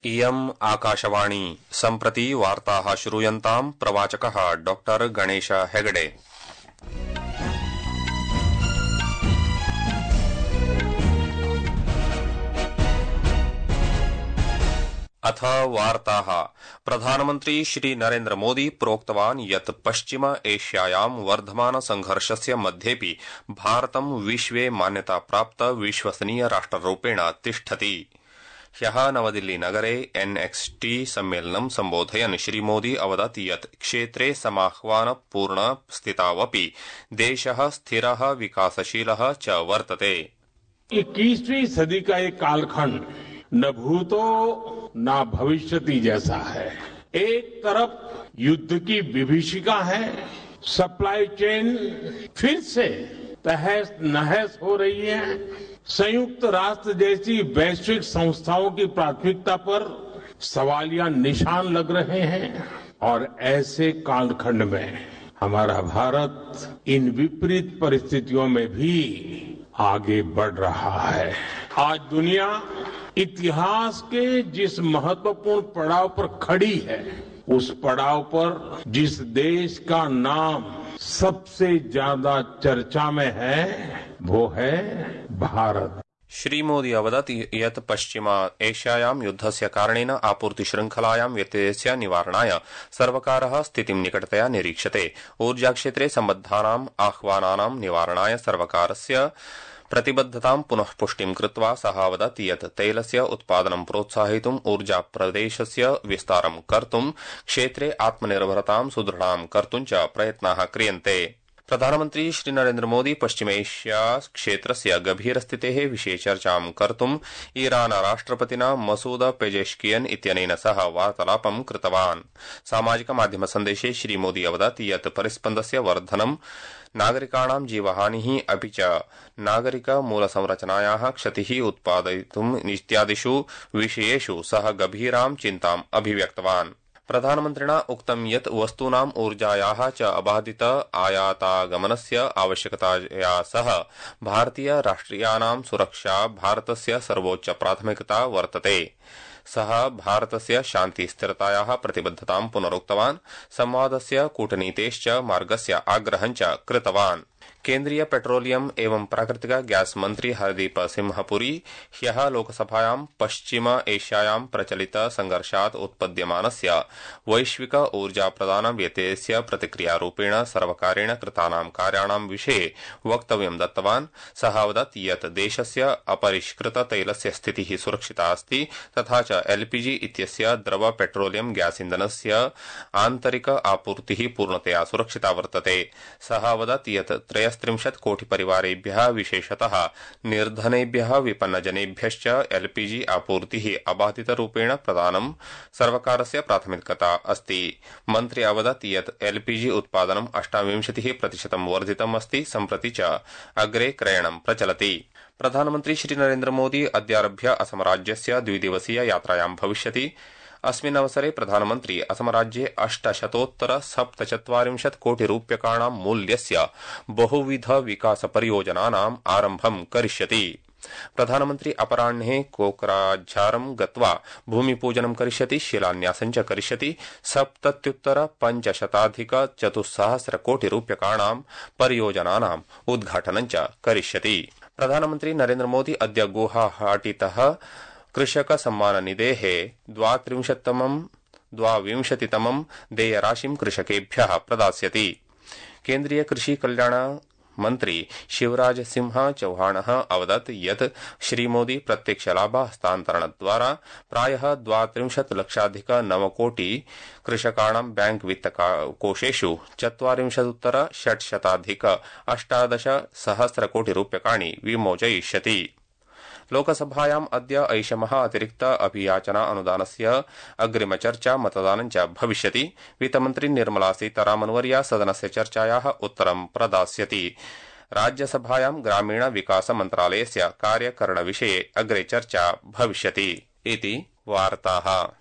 इयम् आकाशवाणी सम्प्रति वार्ताः श्रूयन्ताम् प्रवाचकः डॉ गणेश हेगडे। अथ वार्ताः। प्रधानमन्त्री श्री नरेन्द्र मोदी प्रोक्तवान् यत् पश्चिम एशियायां वर्धमान संघर्षस्य मध्येपि भारतं विश्वे मान्यताप्राप्त विश्वसनीय राष्ट्ररूपेण तिष्ठति। ह्यः नवदिल्ली नगरे NXT सम्मेलनं सम्बोधयन् श्रीमोदी अवदत् यत् क्षेत्रे समाह्वानपूर्ण स्थितावपि देशः स्थिरः विकासशीलः च वर्तते। 21वीं सदी का एक कालखंड न भूतो न भविष्यति जैसा है। एक तरफ युद्ध की विभीषिका है, सप्लाई चेन फिर से तहस नहस हो रही है, संयुक्त राष्ट्र जैसी वैश्विक संस्थाओं की प्राथमिकता पर सवालिया निशान लग रहे हैं और ऐसे कालखंड में हमारा भारत इन विपरीत परिस्थितियों में भी आगे बढ़ रहा है। आज दुनिया इतिहास के जिस महत्वपूर्ण पड़ाव पर खड़ी है, उस पड़ाव पर जिस देश का नाम सबसे ज्यादा चर्चा में है वो है भारत। श्रीमोदी अवदत् यत् पश्चिम एशियायां युद्धस्य कारणेन आपूर्ति श्रृंखलायां व्यत्ययस्य निवारणाय सर्वकारः स्थितिं निकटतया निरीक्षते। ऊर्जाक्षेत्रे सम्बद्धानाम् आह्वानानां निवारणाय सर्वकारस्य प्रतिबद्धतां पुनः पुष्टिं कृत्वा सः अवदत् यत् तैलस्य उत्पादनं प्रोत्साहयितुं ऊर्जाप्रदेशस्य विस्तारं कर्तुं क्षेत्रे आत्मनिर्भरतां सुदृढां कर्तुं च प्रयत्नाः क्रियन्ते। प्रधानमन्त्री श्री नरेन्द्र मोदी पश्चिमेशिया क्षेत्रस्य गभीरस्थितेः विषये चर्चां कर्तुं ईरान राष्ट्रपतिना मसूद पेजेश्कियन इत्यनेन सह वार्तालापं कृतवान्। सामाजिक माध्यम सन्देशे श्रीमोदी अवदत् यत् परिस्पन्दस्य वर्धनं नागरिकाणां जीवहानिः अपि च नागरिक मूलसंरचनायाः क्षतिः उत्पादयितुम् इत्यादिषु विषयेषु सः गभीरां चिन्ताम् अभिव्यक्तवान्। प्रधानमन्त्रिणा उक्तं यत् वस्तूनाम् ऊर्जायाः च अबाधित आयातागमनस्य आवश्यकताया सह भारतीय राष्ट्रियाणां सुरक्षा भारतस्य सर्वोच्च प्राथमिकता वर्तते। सः भारतस्य शान्ति स्थिरतायाः प्रतिबद्धतां पुनरुक्तवान्। संवादस्य कूटनीतेश्च मार्गस्य आग्रहं च कृतवान्। केन्द्रीय पेट्रोलियम एवं प्राकृतिक गैस मंत्री हरदीप सिंह पुरी ह्यः लोकसभायां पश्चिम एशियायां प्रचलित संघर्षात् उत्पद्यमानस्य वैश्विक ऊर्जा प्रदान व्यत्ययस्य प्रतिक्रियारूपेण सर्वकारेण कृतानां कार्याणां विषये वक्तव्यं दत्तवान्। सः अवदत् यत् देशस्य अपरिष्कृत तैलस्य स्थितिः सुरक्षिता अस्ति तथा च LPG इत्यस्य द्रव पेट्रोलियम गैस इन्धनस्य आन्तरिक आपूर्तिः पूर्णतया सुरक्षिता वर्तते। सः अवदत् यत् 33 कोटि परिवारेभ्यः विशेषतः निर्धनेभ्यः विपन्नजनेभ्यश्च LPG आपूर्तिः अबाधितरूपेण प्रदानं सर्वकारस्य प्राथमिकता अस्ति। मन्त्री अवदत् यत् LPG उत्पादनं 28% वर्धितम् अस्ति, सम्प्रति च अग्रे क्रयणं प्रचलति। प्रधानमन्त्री श्री नरेन्द्र मोदी अद्यारभ्य असमराज्यस्य द्विदिवसीय यात्रायां भविष्यति। अस्मिन् अवसरे प्रधानमन्त्री असमराज्ये 847 कोटि रूप्यकाणां मूल्यस्य बहुविध विकास परियोजनानाम् आरम्भं करिष्यति। प्रधानमन्त्री अपराह्ने कोकराझारं गत्वा भूमिपूजनं करिष्यति, शिलान्यासं च करिष्यति। 77,500 कोटि रूप्यकाणां परियोजनानाम् उद्घाटनं च करिष्यति। प्रधानमन्त्री नरेन्द्र मोदी अद्य गुवाहाटीतः कृषक सम्मान निधेः 22तमं देयराशिं कृषकेभ्यः प्रदास्यति। केन्द्रीय कृषि कल्याण मन्त्री शिवराज सिंह चौहानः अवदत् यत् श्रीमोदी प्रत्यक्ष लाभ हस्तान्तरणद्वारा प्रायः 32 लक्षाधिक 9 कोटि कृषकाणां बैंक वित्तकोषेषु 40,600 18 सहस्र कोटि रूप्यकाणि विमोचयिष्यति। लोकसभायाम् अद्य ऐषमः अतिरिक्त अभियाचना अनुदानस्य अग्रिमचर्चा मतदानं च भविष्यति। वित्तमन्त्री निर्मला सीतारामन्वर्या सदनस्य चर्चायाः उत्तरं प्रदास्यति। राज्यसभायां ग्रामीण विकास मन्त्रालयस्य कार्यकरणविषये अग्रे चर्चा भविष्यति। इति वार्ताः।